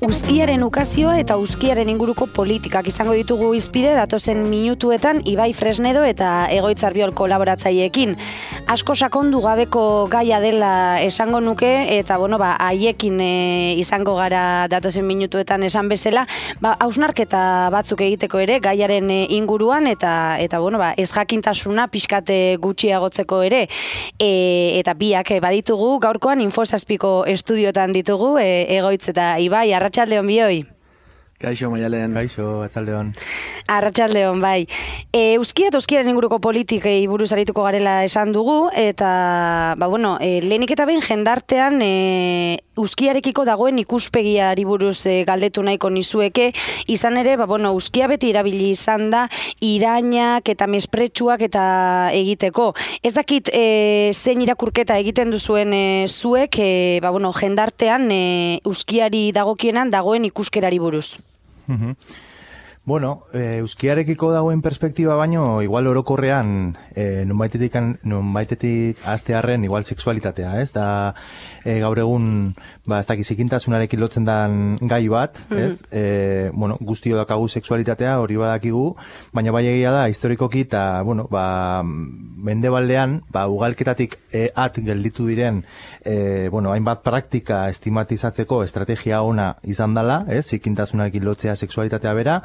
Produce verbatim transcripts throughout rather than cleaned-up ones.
Uzkiaren ukazioa eta uzkiaren inguruko politikak izango ditugu hizpide datozen minutuetan Ibai Fresnedo eta Egoitz Arbiol kolaboratzaileekin. Asko sakondu gabeko gaia dela esango nuke eta bueno, ba, haiekin e, izango gara datozen minutuetan esan bezala, ba, hausnarketa batzuk egiteko ere gaiaren e, inguruan eta eta bueno, ba, ez jakintasuna pixkate gutxiagotzeko ere. E, eta biak e, baditugu gaurkoan Infosazpiko estudiotan ditugu e, Egoitz eta Ibai. Arratsaldeon bioi. Kaixo, Maialen. Kaixo, atzaldeon. Arratsaldeon, bai. E, Uzkia eta uzkiaren inguruko politikei buruz arituko garela esan dugu, eta, ba, bueno, e, lehenik eta behin jendartean e, uzkiarekiko dagoen ikuspegiari buruz e, galdetu nahiko nizueke, izan ere, ba, bueno, uzkia beti erabili izan da, irainak eta mespretsuak eta egiteko. Ez dakit e, zein irakurketa egiten duzuen e, zuek, e, ba, bueno, jendartean e, uzkiari dagokienan dagoen ikuskerari buruz. Uh-huh. Bueno, e, uzkiarekiko dagoen perspektiba baino, igual orokorrean, e, nonbaitetik, nonbaitetik aztearren, igual sexualitatea, ez? Da, e, gaur egun, ba, ez dakiz ikintasunarekin lotzen dan gai bat, ez? Mm-hmm. E, bueno, guztio dakagu sexualitatea, hori badakigu, baina bai egia da, historikoki, eta, bueno, ba, mendebaldean, ba, ugalketatik e, at gelditu diren, e, bueno, hainbat praktika estimatizatzeko estrategia ona izan dela, ez? Ikintasunarekin lotzea sexualitatea bera,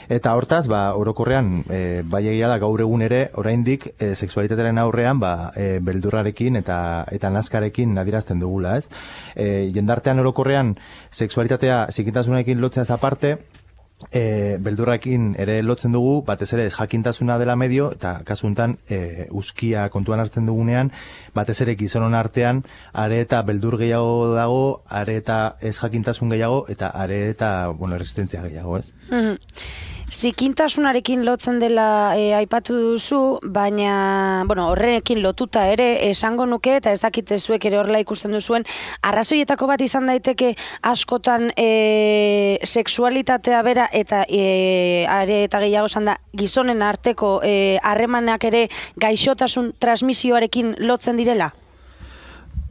eta hortaz, ba, orokorrean, e, bai egia da gaur egun ere, oraindik e, sexualitatearen aurrean, ba, e, beldurrarekin eta eta nazkarekin adierazten dugula, ez? E, jendartean orokorrean, sexualitatea zikintasunarekin lotzea aparte, e, beldurrarekin ere lotzen dugu, batez ere jakintasuna dela medio, eta kasu honetan e, uzkia kontuan hartzen dugunean, batez ere gizonon artean, are eta beldur gehiago dago, are eta ez jakintasun gehiago, eta are eta, bueno, resistentzia gehiago, ez? Mm-hmm. Zikintasunarekin lotzen dela e, aipatu duzu, baina, bueno, horrekin lotuta ere esango nuke, eta ez dakite zuek ere horrela ikusten duzuen, arrazoietako bat izan daiteke askotan e, sexualitatea bera eta e, are eta gehiago esan da gizonen arteko harremanak e, ere gaixotasun transmisioarekin lotzen direla?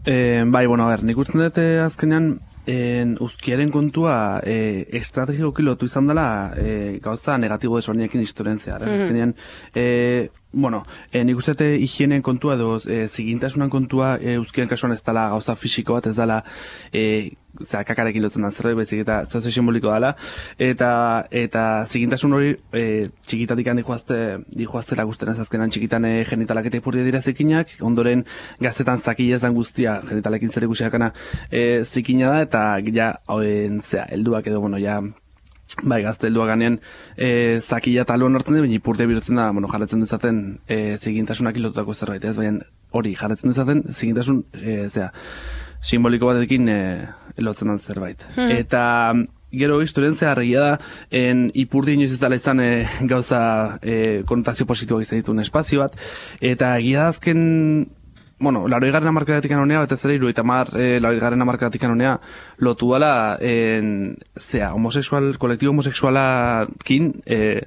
E, bai, bueno, a ber, nik usten dut azkenean En, uzkiaren kontua e, estrategikoki lotu izan dela e, gauza negatibo desberdinekin historian zehar. Mm-hmm. Azkenean, e, bueno, e, nik uste dut higienen kontua edo e, zigintasunan kontua e, uzkiaren kasuan ez dela gauza fisiko bat, ez dela e, zera, kakarekin lotzen da zerbait, bezik eta zauze simboliko dela, eta eta zigintasun hori e, txikitatik handi dihoaztera guztien ez azkenan txikitan e, genitalak eta ipurdia dira zikinak, ondoren gaztetan zakila ezan guztia genitalekin zer ikusiakana e, zikina da, eta ja, hauen, zera, helduak edo, bueno, ja, bai, gazte helduak ganean e, zakila taloan hartzen dira, baina ipurdia bihurtzen da, bueno, jarretzen duzaten e, zigintasunak ilotutako zerbait, ez, baina hori, jarretzen duzaten zigintasun, e, zera, simboliko batekin e, lotzen den zerbait. Hmm. Eta gero historien zehar egia da, en ipurdi inoiz ez dela izan e, gauza e, konotazio positiboak izan dituen espazio bat, eta egia da azken, bueno, laroi garen amarkadatik anonea, betez ere, iru eta mar, e, laroi garen amarkadatik anonea, lotu dela, en, zea, homosexual, kolektibo homosexualakin, e,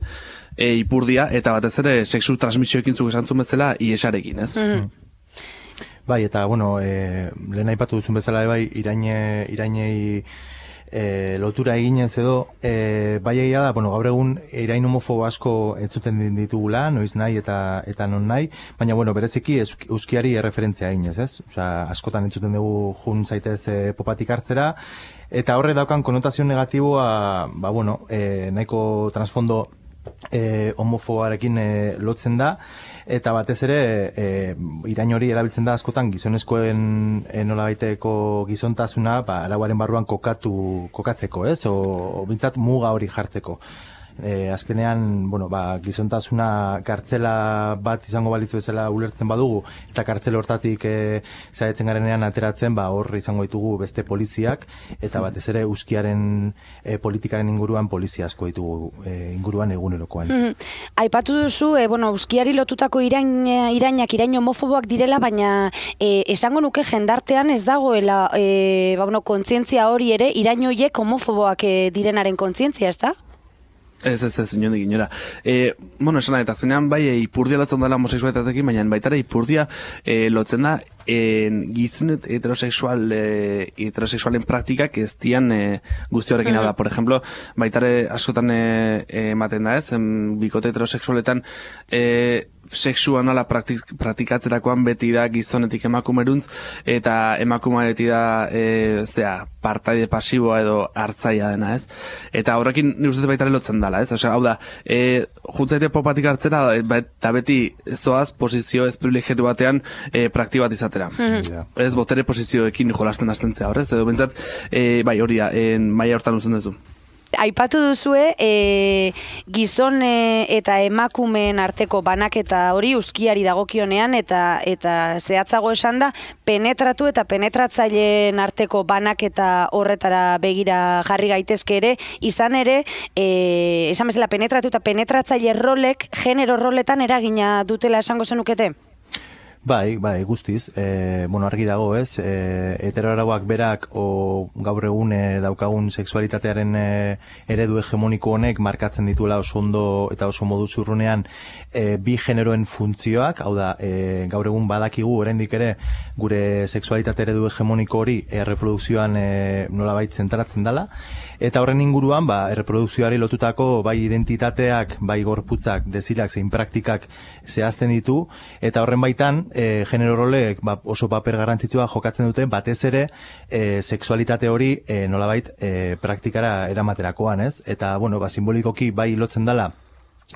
e, ipurdia, eta batez ere, sexu transmisioekin zuk esan zuen bezala, iesarekin, ez? Hmm. Bai, eta, bueno, e, lehen aipatu duzun bezala, bai, iraine, irainei e, lotura eginez edo, e, bai egia da, bueno, gaur egun irain homofobo asko entzuten ditugula, noiz nahi eta eta non nahi, baina, bueno, bereziki uzkiari erreferentzia eginez, ez? Osea, askotan entzuten dugu jun zaitez e, popatik hartzera, eta horre daukan konotazio negatiboa, ba, bueno, e, nahiko transfondo e, homofobarekin e, lotzen da, eta batez ere e, irain hori erabiltzen da askotan gizonezkoen e, nolabaiteko gizontasuna ba, arauaren barruan kokatu, kokatzeko, ez? O, o bintzat muga hori jartzeko. E, azkenean, bueno, ba, gizontasuna kartzela bat izango balitz bezala ulertzen badugu, eta kartzela hortatik e, zaetzen garenean ateratzen, ba, hor izango ditugu beste poliziak, eta batez ere uzkiaren e, politikaren inguruan polizia asko ditugu e, inguruan egunerokoan. Mm-hmm. Aipatu duzu, e, bueno, uzkiari lotutako irain, irainak, irain homofoboak direla, baina e, esango nuke jendartean ez dagoela e, ba, bueno, kontzientzia hori ere, irain horiek homofoboak e, direnaren kontzientzia, ez da? Ez, ez, ez, inondik inora. E, bueno, esan eta zenean, bai, e, ipurdia lotzen dela homosexualitatekin, baina baitara ipurdia e, lotzen da en, gizonet heterosexual, e, heterosexualen praktikak ez dian e, guzti horrekin mm. da. Por ejemplo, baitare askotan e, e, ematen da ez, em, bikote heterosexualetan e, sexua nola praktik, praktikatzerakoan beti da gizonetik emakumeruntz, eta emakumea beti da e, zera, partaide pasiboa edo hartzaia dena, ez? Eta horrekin ni uste baitare lotzen dela, ez? Osea, hau da, e, juntzaite popatik hartzera, eta beti zoaz posizio ez privilegiatu batean e, prakti bat izatera. Mm-hmm. Ez botere posizioekin jolasten hastentzea horrez, edo bentsat, e, bai hori da, maila hortan uzen duzu. Aipatu duzue, e, gizon e, eta emakumeen arteko banaketa hori uzkiari dagokionean eta eta zehatzago esan da, penetratu eta penetratzaileen arteko banaketa horretara begira jarri gaitezke ere, izan ere, e, esan bezala penetratu eta penetratzaile rolek, genero roletan eragina dutela esango zenukete? Bai, bai, guztiz. E, bueno, argi dago, ez? E, heteroarauak berak o gaur egun e, daukagun sexualitatearen e, eredu hegemoniko honek markatzen dituela oso ondo eta oso modu zurrunean e, bi generoen funtzioak, hau da, e, gaur egun badakigu oraindik ere gure sexualitate eredu hegemoniko hori erreprodukzioan e, nolabait zentratzen dela, eta horren inguruan, ba, erreprodukzioari lotutako bai identitateak, bai gorputzak, desirak, zein praktikak zehazten ditu, eta horren baitan, E, genero roleek ba, oso paper garrantzitsua jokatzen dute, batez ere e, sexualitate hori e, nolabait e, praktikara eramaterakoan, ez? Eta, bueno, ba, simbolikoki bai lotzen dela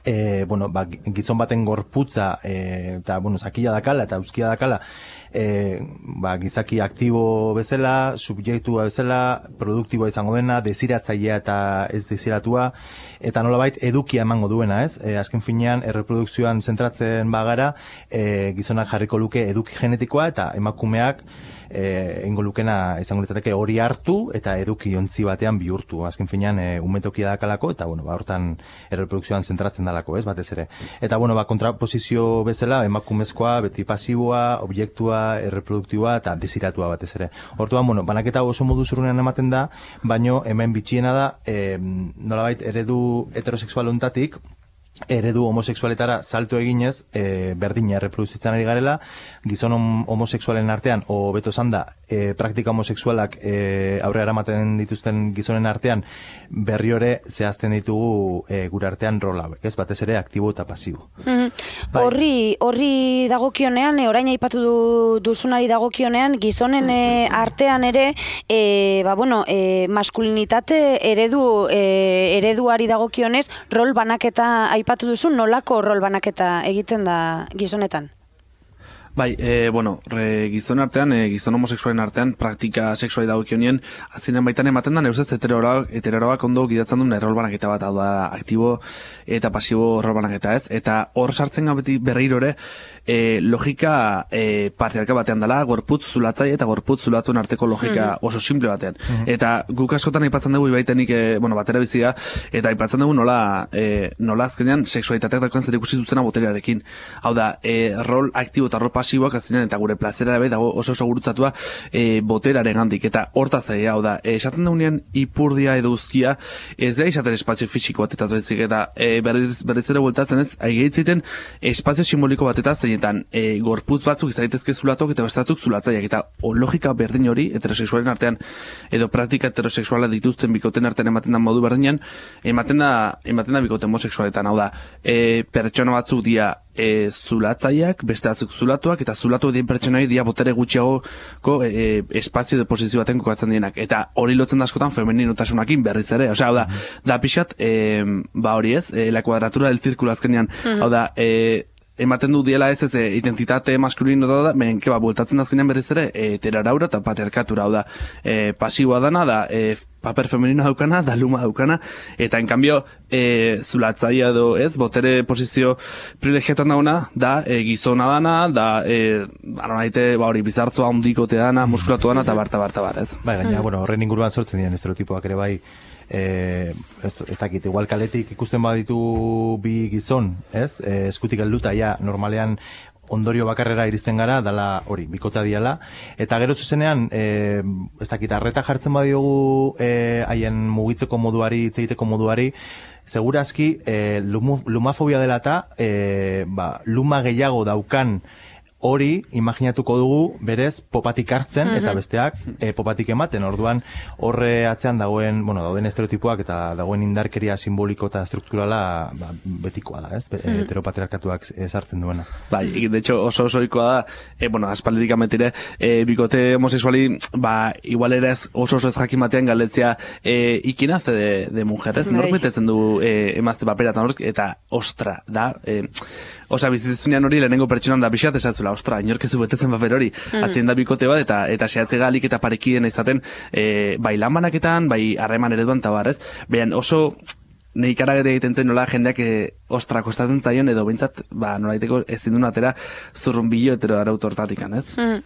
E, bueno, ba, gizon baten gorputza e, eta, bueno, zakila dakala eta euskia dakala e, ba, gizaki aktibo bezala, subjektua bezala, produktiboa izango dena, desiratzailea eta ez desiratua, eta nolabait edukia emango duena, ez? E, azken finean, erreprodukzioan zentratzen bagara, e, gizonak jarriko luke eduki genetikoa eta emakumeak E, ingo lukena izango litzateke hori hartu eta eduki ontzi batean bihurtu. Azken finean e, umetokia dakalako eta bueno, ba, hortan erreprodukzioan zentratzen dalako, ez, batez ere. Eta bueno, ba, kontraposizio bezala emakumezkoa, beti pasiboa, objektua, erreproduktiboa eta desiratua batez ere. Hortuan, bueno, banaketa oso modu zurunean ematen da, baino hemen bitxiena da, e, nolabait eredu heterosexual ontatik eredu homosexualetara salto eginez, e, berdina erreproduzitzen ari garela, gizon homosexualen artean, o beto esan da, e, praktika homosexualak e, aurrera eramaten dituzten gizonen artean, berri hori zehazten ditugu e, gure artean rol hauek, ez, batez ere aktibo eta pasibo. Mm-hmm. Bai. Horri, horri dagokionean, e, orain aipatu du, duzunari dagokionean, gizonen e, artean ere, e, ba, bueno, e, maskulinitate eredu, e, ereduari dagokionez, rol banaketa aipatu duzu, nolako rol banaketa egiten da gizonetan? Bai, e, bueno, re, gizon artean, e, gizon homosexualen artean, praktika sexuali dagokionien, azkenean baitan ematen da, neuzez, heteroak ondo gidatzen duen rol banaketa bat, hau da, aktibo eta pasibo rol banaketa, ez? Eta hor sartzen gabeti berriro ere, e, logika e, patriarka batean dela, gorputz zulatzai eta gorputz zulatuen arteko logika mm-hmm. oso simple batean. Mm-hmm. Eta guk askotan aipatzen dugu ibaitenik, e, bueno, batera bizia, eta aipatzen dugu nola, e, nola azkenean sexualitateak dakoen zer ikusi zutena boterearekin. Hau da, e, rol aktibo eta rol pasiboak azkenean eta gure plazera ere dago oso oso gurutzatua e, boteraren gandik. Eta hortaz ere, hau da, e, esaten dugunean ipurdia edo uzkia, ez da izaten espazio fisiko batetaz bezik, eta e, berriz, berriz ere bueltatzen ez, aigeitziten espazio simboliko batetaz, zeinetan e, gorputz batzuk izaitezke zulatok eta bestatzuk zulatzaiak, eta o, logika berdin hori heterosexualen artean edo praktika heterosexuala dituzten bikoten artean ematen da modu berdinean, ematen da, ematen da bikoten homosexualetan, hau da, e, pertsona batzuk dia E, zulatzaiak, beste batzuk zulatuak, eta zulatu dien pertsonai dia botere gutxiagoko e, espazio de posizio baten kokatzen dienak. Eta hori lotzen da askotan femeninotasunakin berriz ere. Osea, hau da, da pixat, e, ba hori ez, e, la kuadratura del zirkulo azkenean, mm-hmm. hau da, e, ematen du diela ez ez e, identitate maskulino da, ben, keba, bultatzen azkenean berriz ere, heteraraura eta patriarkatura, hau da, e, pasiboa dana, da, e, paper femenino daukana, da luma daukana, eta en cambio, e, zulatzaia edo, ez, botere posizio privilegiatan dauna, da, e, gizona dana, da, e, aronaite, ba hori, bizartzoa ondikote dana, muskulatu dana, eta barta, barta, bar, ez? Bai, gaina, bueno, horren inguruan sortzen diren estereotipoak ere bai, Eh, ez, ez dakit, igual kaletik ikusten baditu bi gizon, ez? Eh, eskutik helduta ja normalean ondorio bakarrera iristen gara, dala hori, bikota diala, eta gero zuzenean, e, ez dakit, arreta jartzen badiogu haien e, mugitzeko moduari, hitz egiteko moduari, segurazki, e, lumu, lumafobia dela eta, e, ba, luma gehiago daukan hori, imaginatuko dugu, berez, popatik hartzen, mm-hmm. eta besteak, e, popatik ematen, orduan, horre atzean dagoen, bueno, dauden estereotipoak, eta dagoen indarkeria simboliko eta strukturala, ba, betikoa da, ez? Mm-hmm. Heteropatriarkatuak sartzen duena. Bai, de hecho, oso osoikoa da, e, bueno, aspalditik ametire, e, bikote homosexuali, ba, igual ere ez, oso oso ez jakin batean galetzea, e, ikin hace de, de mujer, ez? Nork betetzen du e, emazte papera, eta nork, eta ostra, da, e, Osa, bizitzunean hori lehenengo pertsonan da pixat esatzula, ostra, inorkezu betetzen paper hori. Mm. Atzien da bikote bat, eta eta sehatze galik eta parekiden izaten, e, bai lan banaketan, bai harreman ereduan, eta barrez. Behan oso, nahi karagere egiten zen nola jendeak e, ostra kostatzen zaion, edo bintzat, ba, nolaiteko ezin duen atera zurrumbilo hetero arautu hortatikan, ez? Mm.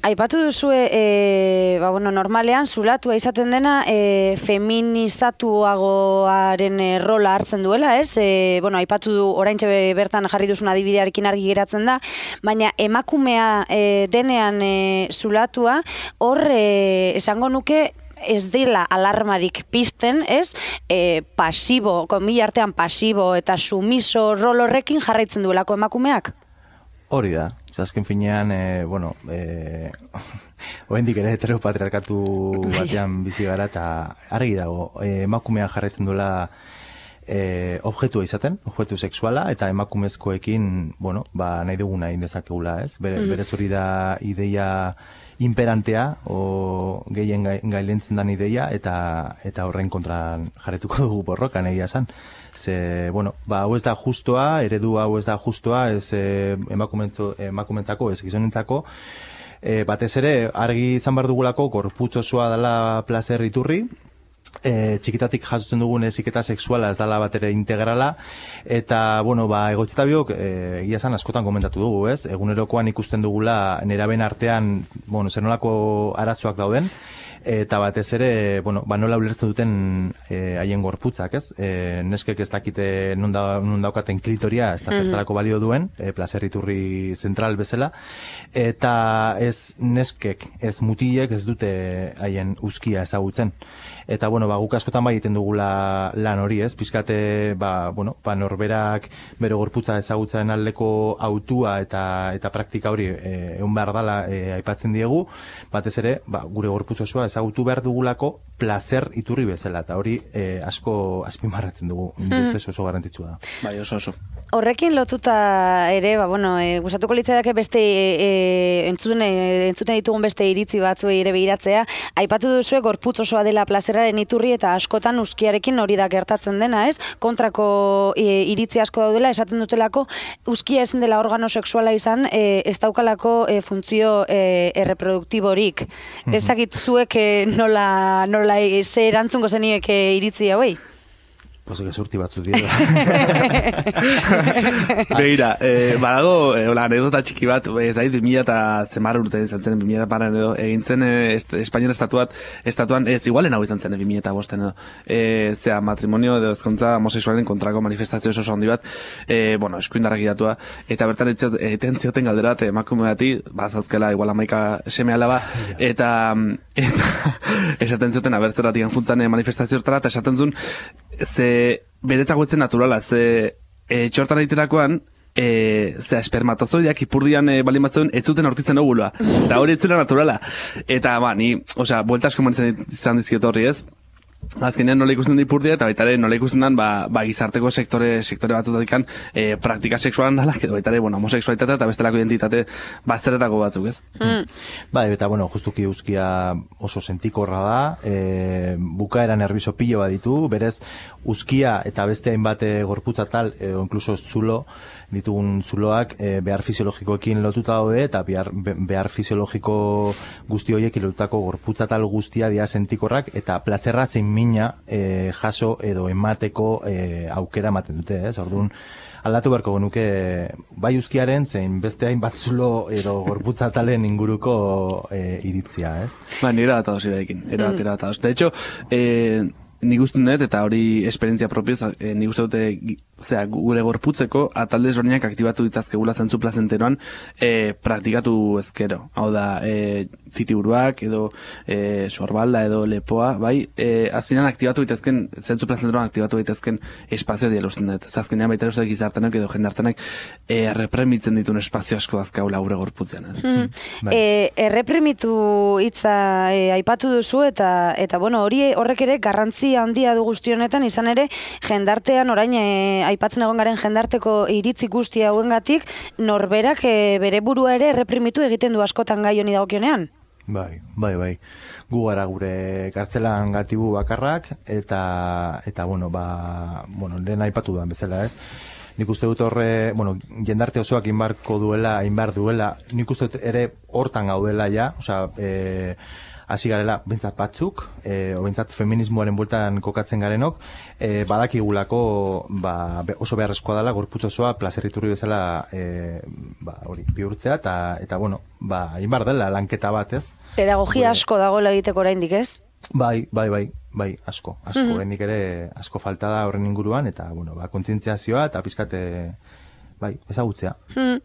Aipatu duzue, e, ba, bueno, normalean, zulatua izaten dena, e, feminizatuagoaren e, rola hartzen duela, ez? E, bueno, aipatu du, oraintxe bertan jarri duzun adibidearekin argi geratzen da, baina emakumea e, denean e, zulatua, hor, e, esango nuke, ez dela alarmarik pizten, ez? E, pasibo, komila artean pasibo eta sumiso rol horrekin jarraitzen duelako emakumeak? Hori da. Azken finean, e, bueno, e, oendik ere heteropatriarkatu batean bizi gara, eta argi dago, e, emakumea jarraitzen duela e, objektua izaten, objektu sexuala, eta emakumezkoekin, bueno, ba, nahi duguna egin dezakegula, ez? Bere, mm. Berez hori da ideia imperantea, o gehien gailentzen dan ideia, eta eta horren kontra jarretuko dugu borrokan egia esan. Ze, bueno, ba, hau ez da justoa, eredu hau ez da justoa, ez eh, emakumentzako, ez gizonentzako, e, batez ere, argi izan behar dugulako, gorputz osoa dela plazer iturri, E, txikitatik jasotzen dugun heziketa sexuala ez dala bat ere integrala, eta, bueno, ba, egoitzetabiok, e, egia esan askotan komentatu dugu, ez? Egunerokoan ikusten dugula neraben artean, bueno, zer nolako arazoak dauden, eta batez ere, bueno, ba, nola ulertzen duten haien e, gorputzak, ez? E, neskek ez dakite non, da, non daukaten klitoria, ez da zertarako balio duen, e, plazer iturri zentral bezala, eta ez neskek, ez mutilek ez dute haien uzkia ezagutzen. Eta, bueno, ba, guk askotan bai egiten dugula lan hori, ez? Pizkate, ba, bueno, ba, norberak bere gorputza ezagutzaren aldeko autua eta eta praktika hori e, egon behar dala e, aipatzen diegu, batez ere, ba, gure gorputz osoa ezagutu behar dugulako placer iturri bezala, eta hori e, asko azpimarratzen dugu, mm. ustez oso garrantzitsua da. Bai, oso oso. Horrekin lotuta ere, ba, bueno, e, gustatuko litzaiake beste e, entzuten, e, entzuten ditugun beste iritzi batzuei ere behiratzea, aipatu duzue gorputz osoa dela plazeraren iturri eta askotan uzkiarekin hori da gertatzen dena, ez? Kontrako e, iritzi asko daudela, esaten dutelako uzkia ezin dela organo sexuala izan, e, ez daukalako e, funtzio e, erreproduktiborik. Mm-hmm. Ezakit zuek e, nola, nola e, ze erantzungo zeniek e, iritzi hauei? Oso gezurti batzu dira. Begira, eh, badago, eh, hola, anekdota txiki bat, ez daiz, bi mila eta zemar urte izan zen, bi mila paran edo, egin zen eh, est, Espainian estatuat, estatuan, ez igualen hau izan zen, bi mila eta bosten edo, eh, zera, matrimonio edo ezkontza homosexualen kontrako manifestazio oso handi bat, eh, bueno, eskuindarrak idatua, eta bertan egiten zioten galdera, eta emakume bati, bazazkela, igual amaika seme alaba, eta, eta esaten zioten, abertzeratik juntzan manifestazio hortara, eta esaten zuen, ze beretzako etzen naturala, ze e, txortan egiterakoan, e, ze espermatozoideak ipurdian e, balin batzuen ez zuten aurkitzen ogulua. Eta hori etzela naturala. Eta, ba, ni, osea, buelta asko manitzen izan dizkiot horri ez. Azkenean nola ikusten da ipurdia, eta baita ere nola ikusten da, ba, ba, gizarteko sektore, sektore batzutatik e, praktika sexualan dalak, edo baita ere, bueno, homosexualitatea eta bestelako identitate bazteretako batzuk, ez? Mm. Ba, eta, bueno, justuki uzkia oso sentikorra da, e, bukaera nerviso pilo bat ditu, berez, uzkia eta beste hainbat gorputza tal, e, o inkluso zulo, ditugun zuloak e, behar fisiologikoekin lotuta daude, eta behar, behar fisiologiko guzti horiekin lotutako gorputza tal guztia dira sentikorrak, eta plazerra zein mina e, jaso edo emateko e, aukera ematen dute, ez? Orduan, aldatu beharko genuke bai uzkiaren zein beste hainbat zulo edo gorputza talen inguruko e, iritzia, ez? Ba, nire bat adoz irekin, nire bat, nire bat adoz. De hecho, eh, nik uste dut, eta hori esperientzia propioz, eh, nik uste dute zera, gure gorputzeko atalde ezberdinak aktibatu ditzazkegula zentzu plazenteroan e, praktikatu ezkero. Hau da, e, zitiburuak edo e, sorbalda edo lepoa, bai, e, azkenean aktibatu ditazken, zentzu plazenteroan aktibatu ditazken espazio diela usten dut. Azkenean baita uste gizartenak edo jendartenak e, errepremitzen dituen espazio asko azkaula gure gorputzean. Hmm. Bai. E, erreprimitu hitza e, aipatu duzu eta eta bueno, hori horrek ere garrantzi handia du guzti honetan, izan ere jendartean orain e, aipatzen egon garen jendarteko iritzi guzti hauengatik norberak e, bere burua ere erreprimitu egiten du askotan gai honi dagokionean. Bai, bai, bai. Gu gara gure kartzelan gatibu bakarrak eta eta bueno, ba, bueno, lehen aipatu da bezala, ez? Nik uste dut horre, bueno, jendarte osoak inbarko duela, inbar duela, nik uste dut ere hortan gaudela ja, osea, eh hasi garela bentsat batzuk, e, o bentsat feminismoaren bueltan kokatzen garenok, e, badakigulako ba, oso beharrezkoa dela gorputz osoa plazerriturri bezala e, ba, hori bihurtzea eta eta bueno, ba inbar dela lanketa bat, ez? Pedagogia asko dagoela egiteko oraindik, ez? Bai, bai, bai, bai, asko, asko, mm-hmm. oraindik ere asko falta da horren inguruan eta bueno, ba kontzientziazioa eta pizkate bai, ezagutzea. Hmm.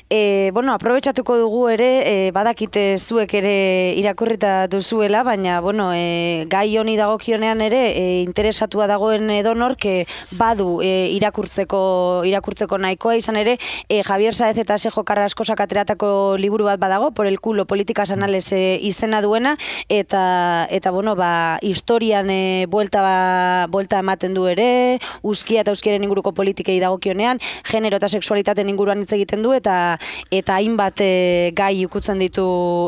E, bueno, aprobetxatuko dugu ere, e, badakite zuek ere irakurrita duzuela, baina, bueno, e, gai honi dagokionean ere, e, interesatua dagoen edonork e, badu e, irakurtzeko irakurtzeko nahikoa, izan ere, e, Javier Saez eta Sejo Carraskosak ateratako liburu bat badago, por el culo, politicas anales e, izena duena, eta, eta bueno, ba, historian e, buelta, ba, buelta ematen du ere, uzkia eta uzkiaren inguruko politikei dagokionean, genero eta sexualitateen inguruan hitz egiten du eta eta hainbat e, gai ikutzen ditu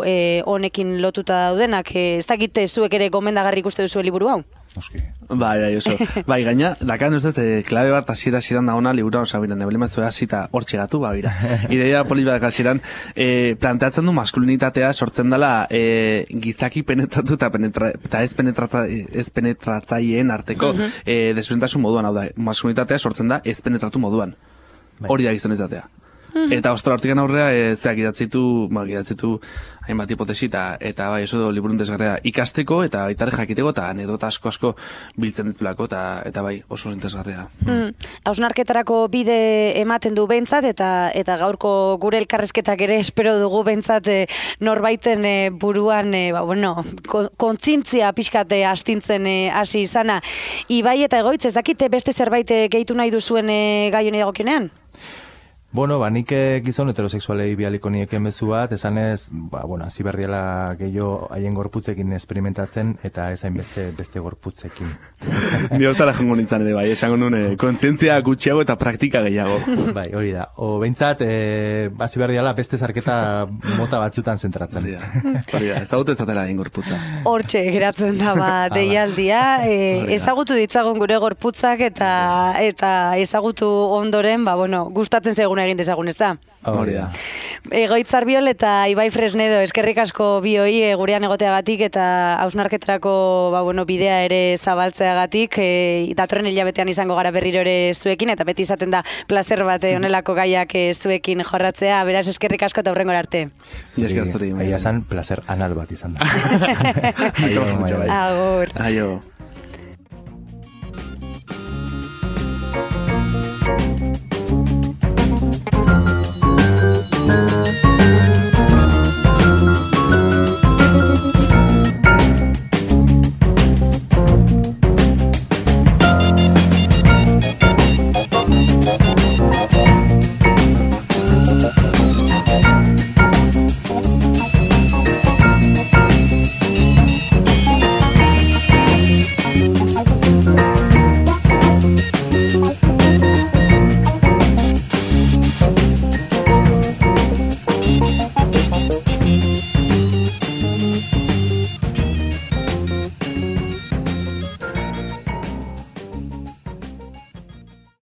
e, honekin lotuta daudenak. E, ez dakite zuek ere gomendagarri ikuste duzu liburu hau? Oski. Bai, bai, oso. Bai, gaina, dakan ustez, e, klabe bat hasiera hasieran da ona libura, osa bira, neblema zuen hasita hor txegatu, ba, bira. Ideia polit bat hasieran, e, planteatzen du maskulinitatea sortzen dela e, gizaki penetratu eta penetra, ez, penetrata, ez penetratzaileen arteko uh-huh. e, desberdintasun moduan, hau da, maskulinitatea sortzen da ez penetratu moduan. Hori da gizton izatea. Mm. Eta ostra hortikan aurrea, e, zeak idatzitu, ba, idatzitu hainbat hipotesi eta, eta bai, eso do, liburun desgarrea ikasteko eta baitare jakiteko eta anedota asko asko biltzen ditulako eta, eta bai, oso interesgarria. Mm. Hausnarketarako bide ematen du behintzat eta eta gaurko gure elkarrezketak ere espero dugu behintzat e, norbaiten e, buruan, e, ba, bueno, kontzintzia pixkate astintzen e, hasi izana. Ibai eta Egoitz, ez dakite beste zerbait e, gehitu nahi duzuen e, gai honi dagokionean? Bueno, ba, nik gizon heterosexualei bialiko niek emezu bat, esanez, ba, bueno, hasi behar diala gehiago haien gorputzekin experimentatzen, eta ezain beste, beste gorputzekin. Ni hortara jongo nintzen ere, bai, esango nuen, kontzientzia gutxiago eta praktika gehiago. Bai, hori da. O, behintzat, e, hasi behar diala beste zarketa mota batzutan zentratzen. Hori da, hori da, ezagutu ezatela haien gorputza. Hortxe, geratzen da, ba, deialdia, e, ezagutu ditzagun gure gorputzak eta, eta ezagutu ondoren, ba, bueno, gustatzen zeguna egin dezagun, ez da? Hori da. Egoitz Arbiol eta Ibai Fresnedo, eskerrik asko bioi e, gurean egoteagatik eta hausnarketarako ba, bueno, bidea ere zabaltzeagatik, e, datorren hilabetean izango gara berriro ere zuekin, eta beti izaten da plazer bat honelako gaiak e, zuekin jorratzea, beraz eskerrik asko eta hurrengora arte. Zuri, aia zan plazer anal bat izan da. Agur. Aio.